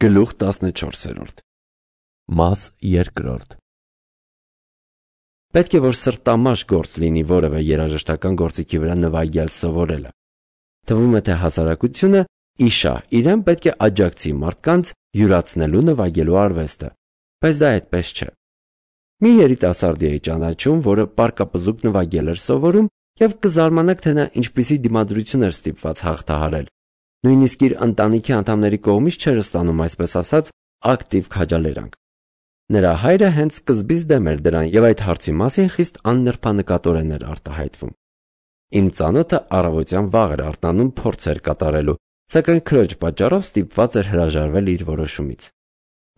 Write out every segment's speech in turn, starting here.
Գլուխ 14 Մաս 2 Պետք է որ սրտամաշ գործ լինի որևէ երաժշտական գործիքի վրա նվագել սովորելը։ Թվում է, թե հասարակությունը իշա իրեն պետք է աջակցի մարդկանց յուրացնելու նվագելու արվեստը, բայց դա այդպես չէ։ Մի երիտասարդի էի ճանաչում, որը պարկապզուկ նվագել էր սովորում, եւ կզարմանաք, թե նա ինչպիսի դիմադրություն էր ստիպված հաղթահարել։ Նույնիսկ իր ընտանիքի անդամների կողմից չէր ստանում, այսպես ասած, ակտիվ քաջալերանք։ Նրա հայրը հենց սկզբից դեմ էր դրան եւ այդ հարցի մասին խիստ աննրբանկատորեն էր արտահայտվում։ Իմ ծանոթը առավոտյան վաղ էր արթնանում փորձեր կատարելու, սակայն քրոջ պատճառով ստիպված էր հրաժարվել իր որոշումից։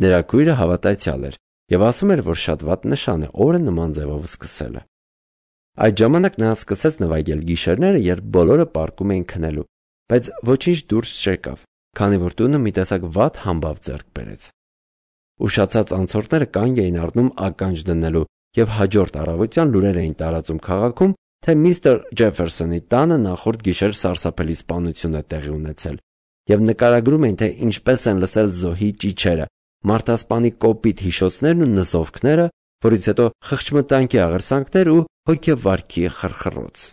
Նրա քույրը հավատացյալ էր եւ ասում էր, որ շատ վատ նշան է օրը նման ձևով սկսելը։ Այդ ժամանակ նա սկսեց նվագել գիշերները, երբ բոլորը պարկում էին քնելու, բայց ոչինչ դուրս չեկավ, քանի որ տունը մի տեսակ վատ համբավ ձեռք բերեց։ Ուշացած անցորդները կանգ էին առնում ականջ դնելու եւ հաջորդ առավոտյան լուրեր էին տարածում քաղաքում, թե միստր Ջեֆերսոնի տանը նախորդ գիշեր սարսափելի սպանություն է տեղի ունեցել եւ նկարագրում էին, թե ինչպես են լսել զոհի ճիչերը, մարդասպանի կոպիտ հիշոցներն ու նզովքները, որից հետո խղճմտանքի աղերսանքներ ու հոգեվարքի խրխռոց։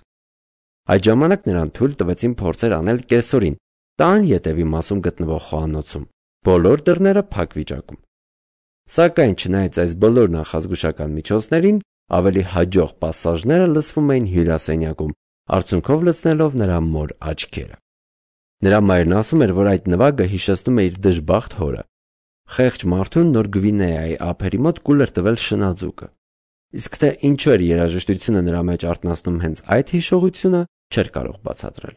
Այդ ժամանակ նրան թույլ տվեցին փորձեր անել կեսօրին տան ետևի մասում գտնվող խոհանոցում, բոլոր դռները փակ վիճակում։ Սակայն չնայած այս բոլոր նախազգուշական միջոցներին, ավելի հաջող պասաժները լսվում էին հյուրասենյակում, արդյունքով լցնելով նրա մոր աչքերը։ Նրա մայրն ասում էր, որ այդ նվագը հիշեցնում է իր դժբախտ հորը։ Խեղճ մարդուն նոր Գվինեայի ափերի մոտ կուլ էր տվել շնաձուկը։ Իսկ թե ինչու էր երաժշտությունը նրա մեջ արթնացնում հենց այդ հիշողությունը, չէր կարող բացատրել։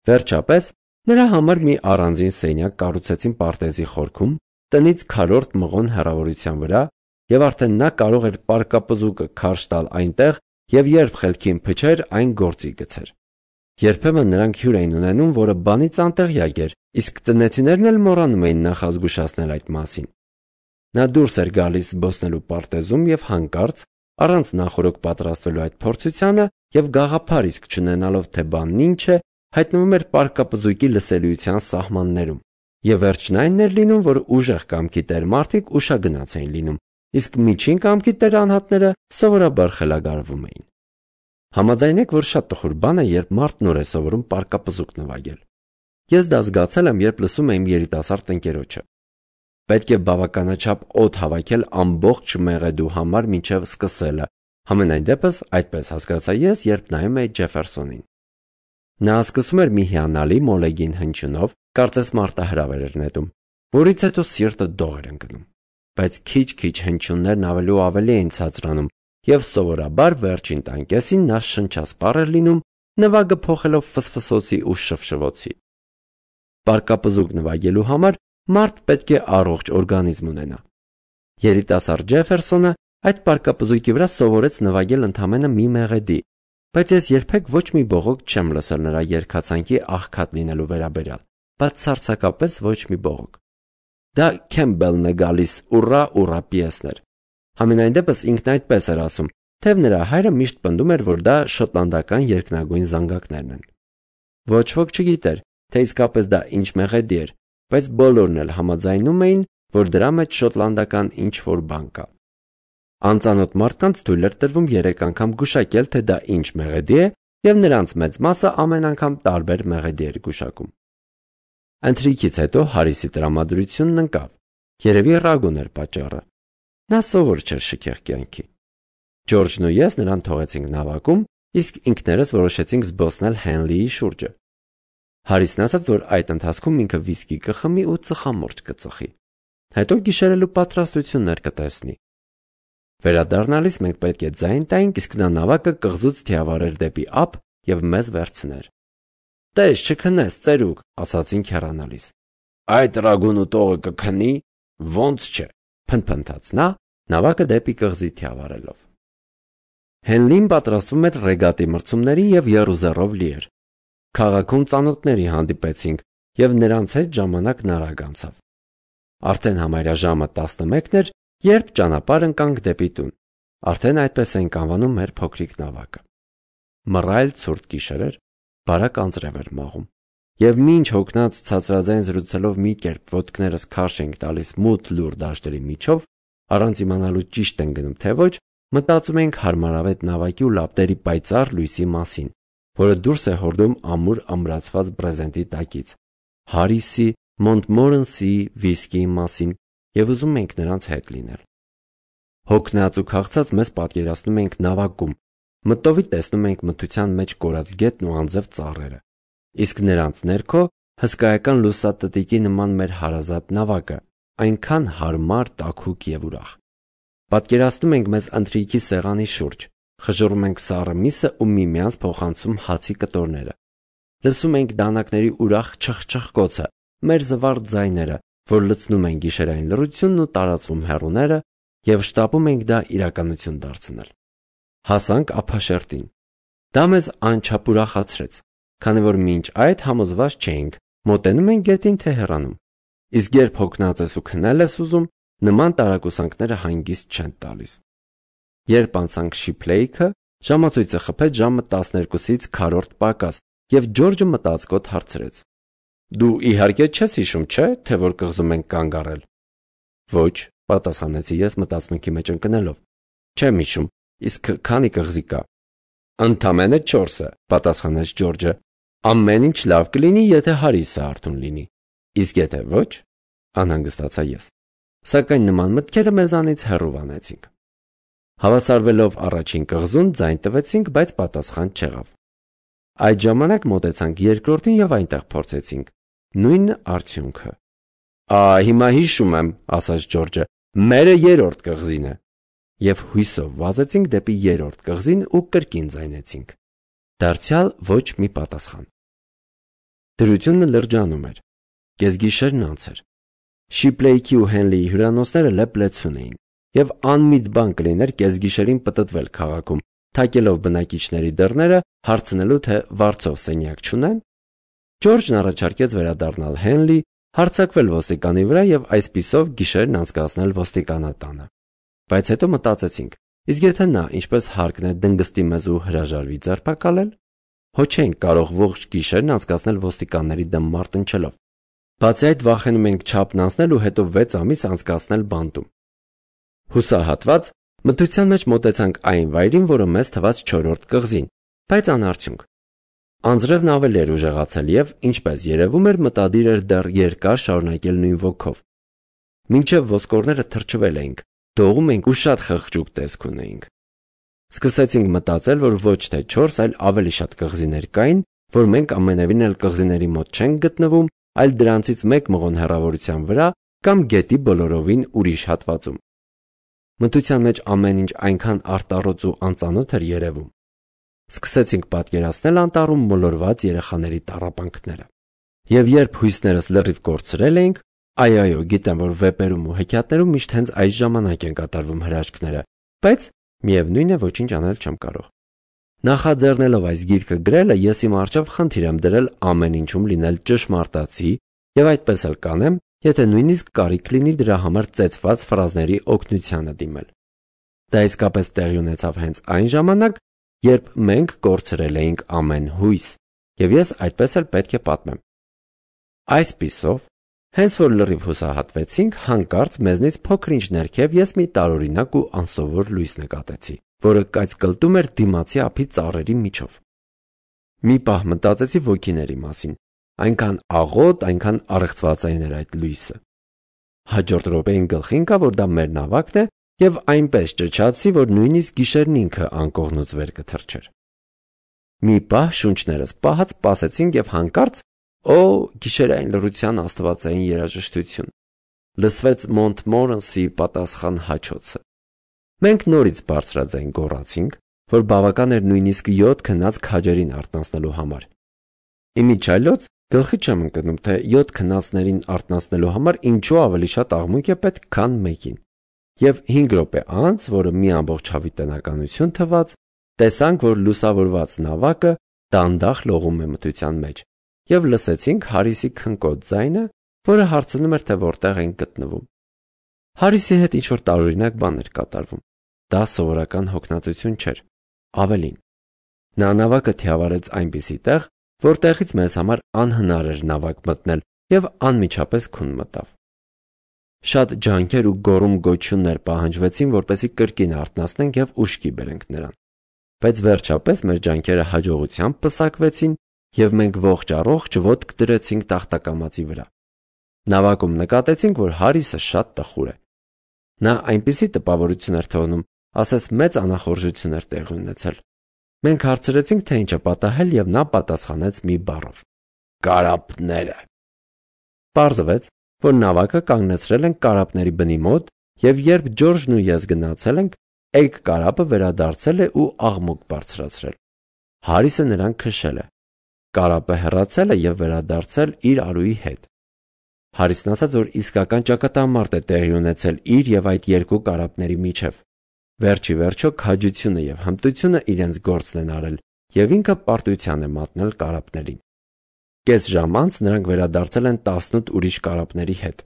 Վերջապես նրա համար մի առանձին սենյակ կառուցեցին պարտեզի խորքում, տնից քառորդ մղոն հեռավորության վրա, եւ արդեն նա կարող էր պարկապզուկը քարշ տալ այնտեղ եւ երբ խելքին փչեր այն գործի գցեր։ Երբեմն նրանք հյուր էին ունենում, որը բանից անտեղյակ էր, իսկ տնեցիներն էլ մոռանում էին նախազգուշացնել այդ մասին։ Նա դուրս էր գալիս զբոսնելու պարտեզում եւ հանկարծ, առանց նախորոք պատրաստվելու այդ փորձությանը եւ գաղափար իսկ չունենալով, թե բանն ինչ է, հայտնվում էր պարկապզուկի լսելիության սահմաններում։ Եվ վերջն այն էր լինում, որ ուժեղ կամքի տեր մարդիկ ուշագնաց էին լինում, իսկ միջին կամքի տեր անհատները սովորաբար խելագարվում էին։ Համաձայնեք, որ շատ տխուր բան է, երբ մարդ նոր է սովորում պարկապզուկ նվագել։ Ես դա զգացել եմ, երբ լսում եմ երիտասարդ ընկերոջը։ Պետք է բավականաչափ օդ հավաքել ամբողջ մեղեդու համար մինչև սկսելը։ Համենայն դեպս այդպես հասկացա ես, երբ նայում էի Ջեֆերսոնին։ Նա սկսում էր մի հիանալի մոլեգին հնչյունով, կարծես մարտահրավեր էր նետում, որից հետո սիրտը դող էր ընկնում։ Բայց քիչ-քիչ հնչյուններն ավելի ու ավելի էին ցածրանում, եւ սովորաբար վերջին տանկեսին նա շնչասպառ էր լինում, նվագը փոխելով ֆսֆսոցի ու շվշվոցի։ Պարկապզուկ նվագելու համար մարդ պետք է առողջ օրգանիզմ ունենա։ Երիտասարդ Ջեֆերսոնը այդ պարկապզուկի վրա սովորեց նվագել ընդամենը մի մեղեդի, բայց ես երբեք ոչ մի բողոք չեմ լսել նրա երգացանկի աղքատ լինելու վերաբերյալ, բացարձակապես ոչ մի բողոք։ Դա Քեմբելն է գալիս, ուռա պիեսներ։ Համենայն դեպս ինքն այդպես էր ասում, թեև նրա հայրը միշտ պնդում էր, որ դա շոտլանդական երկնագույն զանգակներն են։ Ոչ ոք չգիտեր, թե իսկապես դա ինչ մեղեդի էր, բայց բոլորն էլ համաձայնում էին, որ դրա մեջ շոտլանդական ինչ-որ բան կա։ Անծանոթ մարդկանց թույլ էր տրվում 3 անգամ գուշակել, թե դա ինչ մեղեդի է, եւ նրանց մեծ մասը ամեն անգամ տարբեր մեղեդի էր գուշակում։ Ընթրիքից հետո Հարիսի տրամադրությունն ընկավ։ Երևի ռագուն էր պատճառը։ Նա սովոր չէր շքեղ կյանքի։ Ջորջն ու ես նրան թողեցինք նավակում, իսկ ինքներս որոշեցինք զբոսնել Հենլիի շուրջը։ Հարիսն ասաց, որ այդ ընթացքում ինքը վիսկի կխմի ու ծխամորճ կծխի։ Հետո գիշերելու պատրաստություններ կտեսնի։ Վերադառնալիս մենք պետք է ձայն տայինք, իսկ նա նավակը կղզուց թիավարեր դեպի ափ եւ մեզ վերցներ։ Տես չքնես, ծերուկ, ասացինք հեռանալիս։ Այդ ռագուն ու տողը կքնի, ոնց չէ, փնփնթաց նա, նավակը դեպի կղզի թիավարելով։ Հենլին պատրաստվում էր ռեգատի մրցումների եւ եռուզեռով լի էր։ Քաղաքում ծանոթների հանդիպեցինք եւ նրանց հետ ժամանակն արագ անցավ։ Արդեն համարյա ժամը 11-ն էր, երբ ճանապարհ ընկանք դեպի տուն։ Արդեն այդպես ենք անվանում մեր փոքրիկ նավակը։ Մռայլ ցուրտ գիշեր էր, բարակ անձրև էր մաղում, Եվ մինչ հոգնած ցածրաձայն զրուցելով մի կերպ ոտքներս քարշ ենք տալիս մութ լուր դաշտերի միջով, առանց իմանալու ճիշտ են գնում թե ոչ, մտածում ենք հարմարավետ նավակի ու լապտերի պայծառ լույսի մասին, որը դուրս է հորդում ամուր ամրացված բրեզենտի տակից, Հարիսի, Մոնտմորենսի վիսկիի մասին եւ ուզում ենք նրանց հետ լինել։ Հոգնած ու քաղցած մեզ պատկերացնում ենք նավակում, մտովի տեսնում ենք մթության մեջ կորած գետն ու անձև ծառերը, իսկ նրանց ներքո հսկայական լուսատտիկի նման մեր հարազատ նավակը, այնքան հարմար, տաքուկ եւ ուրախ։ Պատկերացնում ենք մեզ ընթրիքի սեղանի շուրջ, խժռում ենք սառը միսը ու միմյանց փոխանցում հացի կտորները։ Լսում ենք դանակների ուրախ չխչխկոցը, մեր զվարթ ձայները, որ լցնում են գիշերային լռությունն ու տարածվում հեռուները, եւ շտապում ենք դա իրականություն դարձնել։ Հասանք ափաշերտին։ Դա մեզ անչափ ուրախացրեց, քանի որ մինչ այդ համոզված չէինք, մոտենում ենք գետին թե հեռանում։ Իսկ երբ հոգնած ես ու քնել ես ուզում, նման տարակուսանքները հանգիստ չեն տալիս։ Երբ անցանք Շիփլեյքը, ժամացույցը խփեց ժամը 12-ից քառորդ պակաս, եւ Ջորջը մտածկոտ հարցրեց. «Դու իհարկե չես հիշում, չէ՞, թե որ կղզում ենք կանգ առել»։ «Ոչ», պատասխանեցի ես մտածմունքի մեջ ընկնելով։ «Չեմ հիշում, իսկ քանի կղզի կա»։ «Ընդամենը 4-ը», պատասխանեց Ջորջը։ «Ամեն ինչ լավ կլինի, եթե Հարիսը արթուն լինի։ Իսկ եթե ոչ», անհանգստացա ես։ Սակայն նման մտքերը մեզանից հեռու վանեցինք։ Հավասարվելով առաջին կղզուն ձայն տվեցինք, բայց պատասխան չեղավ։ Այդ ժամանակ մոտեցանք երկրորդին եւ այնտեղ փորձեցինք նույն արդյունքը։ Հիմա հիշում եմ, ասաց Ջորջը, մերը երրորդ կղզին է։ Եվ հույսով վազեցինք դեպի երրորդ կղզին ու կրկին ձայնեցինք։ Դարձյալ ոչ մի պատասխան։ Դրությունը լրջանում էր։ Կեսգիշերն անց էր։ Շիփլեյքի ու Հենլիի հյուրանոցները լեփլեցուն էին, եւ անմիտ բան կլիներ կեսգիշերին պտտվել քաղաքում, թակելով բնակիչների դռները, հարցնելու թե վարձով սենյակ չունեն։ Ջորջն առաջարկեց վերադառնալ Հենլի, հարձակվել ոստիկանի վրա եւ այսպիսով գիշերն անցկացնել ոստիկանատանը։ Բայց հետո մտածեցինք, իսկ եթե նա ինչպես հարկն է դնգստի մեզ ու հրաժարվի ձերբակալել, հո չենք կարող ողջ գիշերն անցկացնել ոստիկանների դեմ մարտնչելով։ Բացի այդ վախենում ենք չափն անցնել ու հետո 6 ամիս անցկացնել բանտում։ Հուսահատված մթության մեջ մոտեցանք այն վայրին, որը մեզ թվաց 4-րդ կղզին, բայց անարդյունք։ Անձրևն ավելի էր ուժեղացել եւ, ինչպես երևում էր, մտադիր էր դեռ երկար շարունակել նույն ոգով։ Մինչև ոսկորները թրջվել էինք, դողում ենք ու շատ խղճուկ տեսք ունեինք։ Սկսեցինք մտածել, որ ոչ թե 4, այլ ավելի շատ կղզիներ կային, որ մենք ամենևին էլ կղզիների մոտ չենք գտնվում, այլ դրանցից մեկ մղոն հեռավորության վրա կամ գետի բոլորովին ուրիշ հատվածում։ Մթության մեջ ամեն ինչ այնքան արտառոց ու անծանոթ էր երևում։ Սկսեցինք պատկերացնել անտառում մոլորված երեխաների տառապանքները։ Եվ երբ հույսներս լրիվ կորցրել էինք, այո, գիտեմ, որ վեպերում ու հեքիաթներում միշտ հենց այս ժամանակ են կատարվում հրաշքները, բայց միևնույն է ոչինչ անել չեմ կարող։ Նախաձեռնելով այս գիրքը գրելը, ես իմ առջև խնդիր եմ դրել ամեն ինչում լինել ճշմարտացի եւ այդպես էլ կանեմ, եթե նույնիսկ կարիք լինի դրա համար ծեծված ֆրազների օգնությանը դիմել։ Դա իսկապես տեղի ունեցավ հենց այն ժամանակ, երբ մենք կորցրել էինք ամեն հույս, եւ ես այդպես էլ պետք է պատմեմ։ Այսպիսով, հենց որ լրիվ հուսահատվեցինք, հանկարծ մեզնից փոքր-ինչ ներքև ես մի տարօրինակ ու անսովոր լույս նկատեցի, որը կայծկլտում էր դիմացի ափի ծառերի միջով։ Մի պահ մտածեցի ոգիների մասին, այնքան աղոտ, այնքան առեղծվածային էր այդ լույսը։ Հաջորդ րոպեին գլխի ընկա, որ դա մեր նավակն է, եւ այնպես ճչացի, որ նույնիսկ գիշերն ինքը անկողնուց վեր կթռչեր։ Մի պահ շունչներս պահած սպասեցինք եւ հանկարծ գիշերային լռության աստվածային երաժշտություն։ Լսվեց Մոնտմորենսի պատասխան հաչոցը։ Մենք նորից բարձրաձայն գոռացինք, որ բավական էր նույնիսկ 7 քնած քաջերին արթնացնելու համար։ Իմիջիայլոց գլխի չեմ ընկնում, թե 7 քնածներին արթնացնելու համար ինչու ավելի շատ աղմուկ է պետք, քան մեկին։ Եվ 5 րոպե անց, որը մի ամբողջ հավիտենականություն թվաց, տեսանք, որ լուսավորված նավակը դանդաղ լողում է մթության մեջ, եւ լսեցինք Հարիսի քնկոտ ձայնը, որը հարցնում էր, թե որտեղ ենք գտնվում։ Հարիսի հետ ինչ-որ տարօրինակ բան էր կատարվում։ Դա սովորական հոգնածություն չէր, ավելին։ Նա նավակը թիավարեց այնպիսի տեղ, որտեղից մեզ համար անհնար էր նավակ մտնել և անմիջապես քուն մտավ։ Շատ ջանքեր ու գոռում-գոչյուններ պահանջվեցին, որպեսզի կրկին արթնացնենք և ուշքի բերենք նրան, բայց վերջապես մեր ջանքերը հաջողությամբ պսակվեցին և մենք ողջ-առողջ ոտք դրեցինք տախտակամածի վրա։ Նավակում նկատեցինք, որ Հարիսը շատ տխուր է։ Նա այնպիսի տպավորություն էր թողնում, ասես մեծ անախորժություն էր տեղի ունեցել։ Մենք հարցրեցինք, թե ինչ է պատահել, և նա պատասխանեց մի բառով. «Կարապները»։ Պարզվեց, որ նավակը կանգնեցրել են կարապների բնի մոտ, և երբ Ջորջն ու ես գնացել ենք, էգ կարապը վերադարձել է ու աղմուկ բարձրացրել։ Հարիսը նրան քշել է։ Կարապը հեռացել է և վերադարձել իր արուի հետ։ Հարիսն ասաց, որ իսկական ճակատամարտ է տեղի ունեցել իր և այդ երկու կարապների միջև։ Վերջ ի վերջո քաջությունը և հմտությունը իրենց գործն են արել, և ինքը պարտության է մատնել կարապներին։ Կես ժամ անց նրանք վերադարձել են 18 ուրիշ կարապների հետ։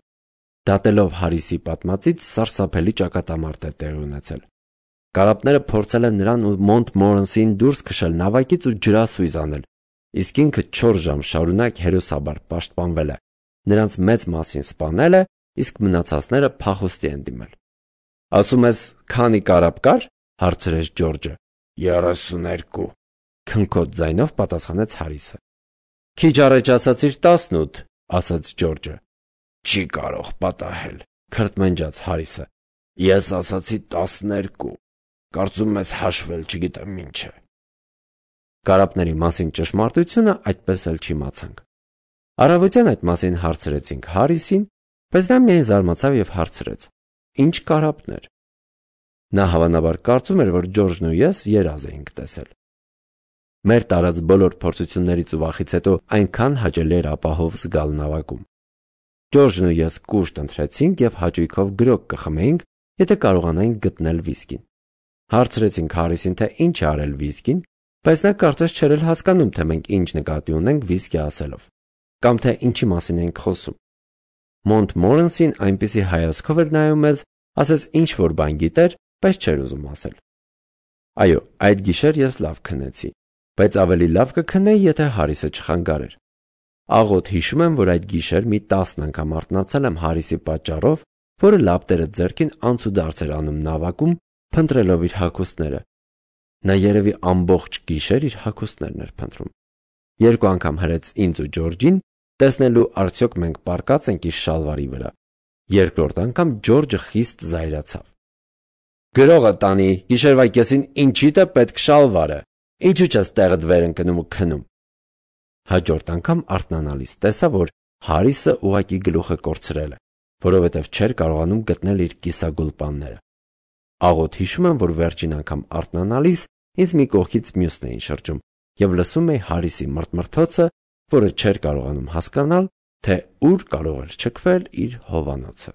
Դատելով Հարիսի պատմածից, սարսափելի ճակատամարտ է տեղի ունեցել։ Կարապները փորձել են նրան ու Մոնտմորենսին դուրս քշել նավակից ու ջրասույզ անել, իսկ ինքը 4 ժամ շարունակ հերոսաբար պաշտպանվել է, նրանց մեծ մասին սպանել է, իսկ մնացածները փախուստի են դիմել։ «Ասում ես, քանի կարապ կար»՝ հարցրեց Ջորջը։ 32, քնքոտ ձայնով պատասխանեց Հարիսը։ «Քիչ առաջ ասացիր 18», ասաց Ջորջը։ «Չի կարող պատահել», քրթմնջաց Հարիսը։ «Ես ասացի 12, կարծում ես հաշվել չգիտեմ ինչ է»։ Կարապների մասին ճշմարտությունը այդպես էլ չիմացանք։ Առավոտյան այդ մասին հարցրեցինք Հարիսին, բայց նա միայն զարմացավ և հարցրեց. «Ինչ կարապներ»։ Նա հավանաբար կարծում էր, որ Ջորջն ու ես երազ էինք տեսել։ Մեր տարած բոլոր փորձություններից ու վախից հետո այնքան հաճելի էր ապահով զգալ նավակում։ Ջորջն ու ես կուշտ ընթրեցինք և հաճույքով գրոգ կխմեինք, եթե կարողանայինք գտնել վիսկին։ Հարցրեցինք Հարիսին, թե ինչ է արել վիսկին, բայց նա կարծես չէր էլ հասկանում, թե մենք ինչ նկատի ունենք վիսկի ասելով, կամ թե ինչի մասին ենք խոսում։ Մոնտմորենսին այնպիսի հայացքով էր նայում մեզ, ասես ինչ-որ բան գիտեր, բայց չէր ուզում ասել։ Այո, այդ գիշեր ես լավ քնեցի, բայց ավելի լավ կքնեի, եթե Հարիսը չխանգարեր։ Աղոտ հիշում եմ, որ այդ գիշեր մի 10 անգամ արթնացել եմ Հարիսի պատճառով, որը լապտերը ձեռքին անցուդարձ էր անում նավակում, փնտրելով իր հագուստները։ Նա երևի ամբողջ գիշեր իր հագուստներն էր փնտրում։ 2 անգամ հրեց ինձ ու Ջորջին, տեսնելու արդյոք մենք պառկած ենք իր շալվարի վրա։ Երկրորդ անգամ Ջորջը խիստ զայրացավ։ «Գրողը տանի, գիշերվա կեսին ինչիդ է պետք շալվարը, ինչու չես տեղդ վեր ընկնում ու քնում»։ Հաջորդ անգամ արթնանալիս տեսա, որ Հարիսը ուղղակի գլուխը կորցրել է, որովհետև չէր կարողանում գտնել իր կիսագուլպանները։ Աղոտ հիշում եմ, որ վերջին անգամ արթնանալիս ինձ մի կողքից մյուսն էին շրջում և լսում էի Հարիսի մռթմռթոցը, որը չէր կարողանում հասկանալ, թե ուր կարող էր չքվել իր հովանոցը։